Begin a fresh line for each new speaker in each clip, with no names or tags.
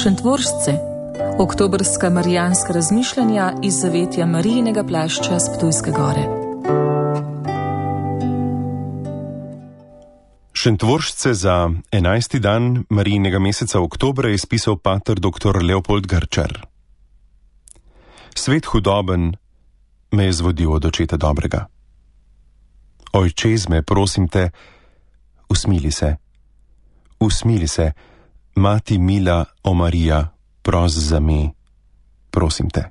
Šentvoržce, oktobrska marijanska razmišljanja iz zavetja Marijinega plašča s Ptujske gore.
Šentvoržce za 11. dan Marijinega meseca oktobra je spisal pater dr. Leopold Grčar. Svet hudoben me je zvodil od očeta dobrega. Ojče zme, prosim te, usmili se, mati mila, o Marija, pros za me, prosim te.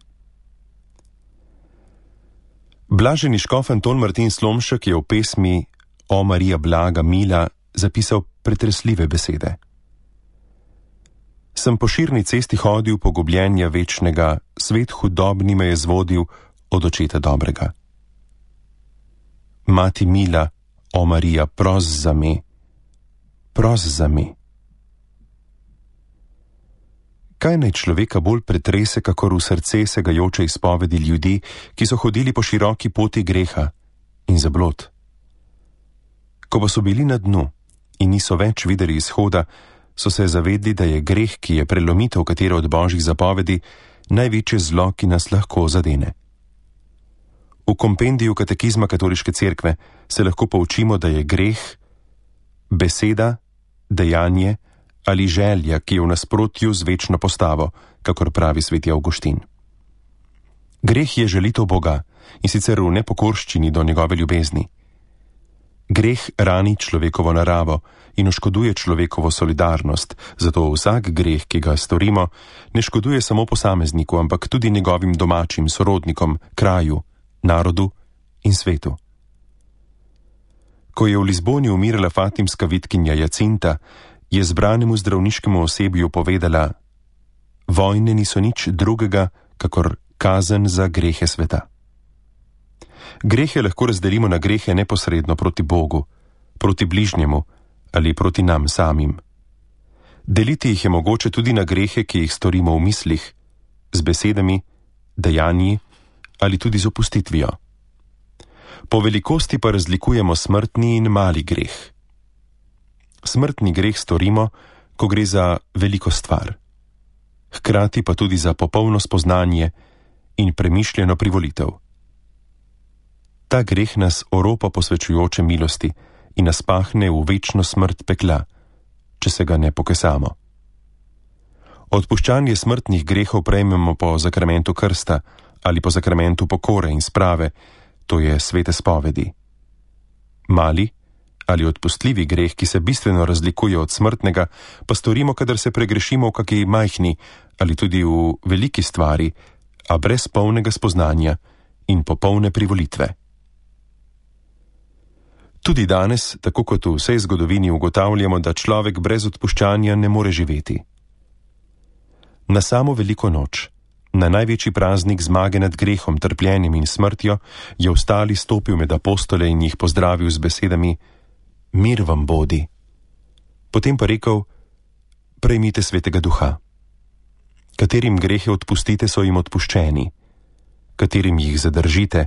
Blaženi škof Anton Martin Slomšek je v pesmi O Marija blaga mila zapisal pretresljive besede. Sem po širni cesti hodil pogubljenja večnega, svet hudobni me je zvodil od očeta dobrega. Mati mila, o Marija, pros za me, pros za me. Kaj naj človeka bolj pretrese, kakor v srce segajoče izpovedi ljudi, ki so hodili po široki poti greha in zablod? Ko pa so bili na dnu in niso več videli izhoda, so se zavedli, da je greh, ki je prelomitev katere od božjih zapovedi, največje zlo, ki nas lahko zadene. V kompendiju katekizma Katoliške cerkve se lahko poučimo, da je greh beseda, dejanje ali želja, ki je v nasprotju z večno postavo, kakor pravi sveti Avguštin. Greh je želitev Boga, in sicer v nepokorščini do njegove ljubezni. Greh rani človekovo naravo in oškoduje človekovo solidarnost, zato vsak greh, ki ga storimo, ne škoduje samo posamezniku, ampak tudi njegovim domačim sorodnikom, kraju, narodu in svetu. Ko je v Lizboni umirala fatimska vitkinja Jacinta, je zbranemu zdravniškemu osebju povedala: vojne niso nič drugega, kakor kazen za grehe sveta. Grehe lahko razdelimo na grehe neposredno proti Bogu, proti bližnjemu ali proti nam samim. Deliti jih je mogoče tudi na grehe, ki jih storimo v mislih, z besedami, dejanji ali tudi z opustitvijo. Po velikosti pa razlikujemo smrtni in mali greh. Smrtni greh storimo, ko gre za veliko stvar, hkrati pa tudi za popolno spoznanje in premišljeno privolitev. Ta greh nas oropa posvečujoče milosti in nas pahne v večno smrt pekla, če se ga ne pokesamo. Odpuščanje smrtnih grehov prejmemo po zakramentu krsta ali po zakramentu pokore in sprave, to je svete spovedi. Mali ali odpustljivi greh, ki se bistveno razlikuje od smrtnega, pa storimo, kadar se pregrešimo v kaki majhni ali tudi v veliki stvari, a brez polnega spoznanja in popolne privolitve. Tudi danes, tako kot v vsej zgodovini, ugotavljamo, da človek brez odpuščanja ne more živeti. Na samo veliko noč, na največji praznik zmage nad grehom, trpljenjem in smrtjo, je vstali, stopil med apostole in jih pozdravil z besedami: mir vam bodi. Potem pa rekel: prejmite svetega duha. Katerim grehe odpustite, so jim odpuščeni, katerim jih zadržite,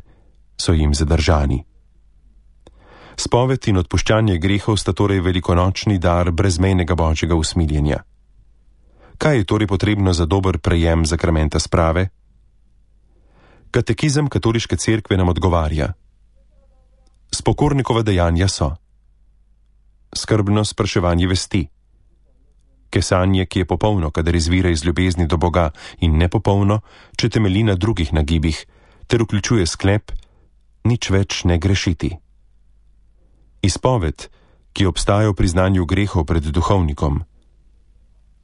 so jim zadržani. Spoved in odpuščanje grehov sta torej velikonočni dar brezmejnega božjega usmiljenja. Kaj je torej potrebno za dober prejem zakramenta sprave? Katekizem Katoliške cerkve nam odgovarja: spokornikova dejanja so skrbno spraševanje vesti, kesanje, ki je popolno, kadar izvira iz ljubezni do Boga, in nepopolno, če temelji na drugih nagibih, ter vključuje sklep: nič več ne grešiti. Izpoved, ki obstaja v priznanju grehov pred duhovnikom.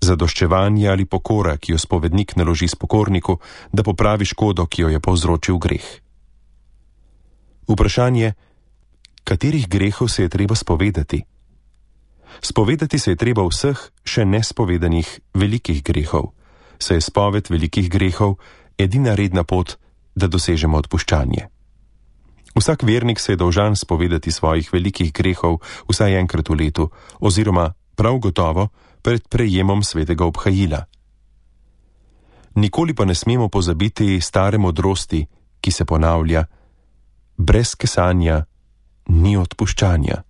Zadoščevanje ali pokora, ki jo spovednik naloži spokorniku, da popravi škodo, ki jo je povzročil greh. Vprašanje: katerih grehov se je treba spovedati? Spovedati se je treba vseh še nespovedanih velikih grehov, saj je spoved velikih grehov edina redna pot, da dosežemo odpuščanje. Vsak vernik se je dolžan spovedati svojih velikih grehov vsaj enkrat v letu, oziroma prav gotovo pred prejemom svetega obhajila. Nikoli pa ne smemo pozabiti stare modrosti, ki se ponavlja: brez kesanja ni odpuščanja.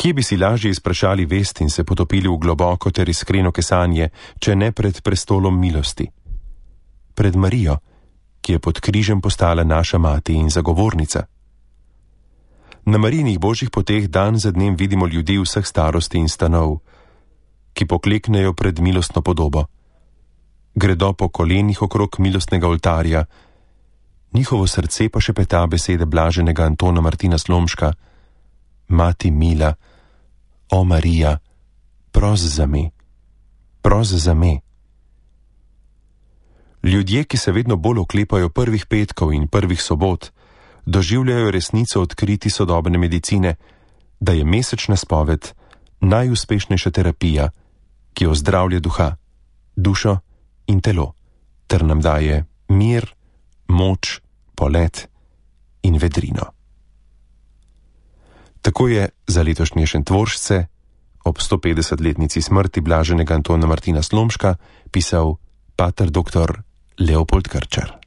Kje bi si lažje izprašali vest in se potopili v globoko ter iskreno kesanje, če ne pred prestolom milosti? Pred Marijo, ki je pod križem postala naša mati in zagovornica. Na Marijinih božjih poteh dan za dnem vidimo ljudi vseh starosti in stanov, ki pokleknejo pred milostno podobo. Gredo po kolenih okrog milostnega oltarja, njihovo srce pa šepeta besede blaženega Antona Martina Slomška: Mati mila, o Marija, pros za me, pros za me. Ljudje, ki se vedno bolj oklepajo prvih petkov in prvih sobot, doživljajo resnico odkriti sodobne medicine, da je mesečna spoved najuspešnejša terapija, ki ozdravlja duha, dušo in telo, ter nam daje mir, moč, polet in vedrino. Tako je za letošnje Šentvoržce ob 150-letnici smrti blaženega Antona Martina Slomška pisal pater dr. Leopold Krčar.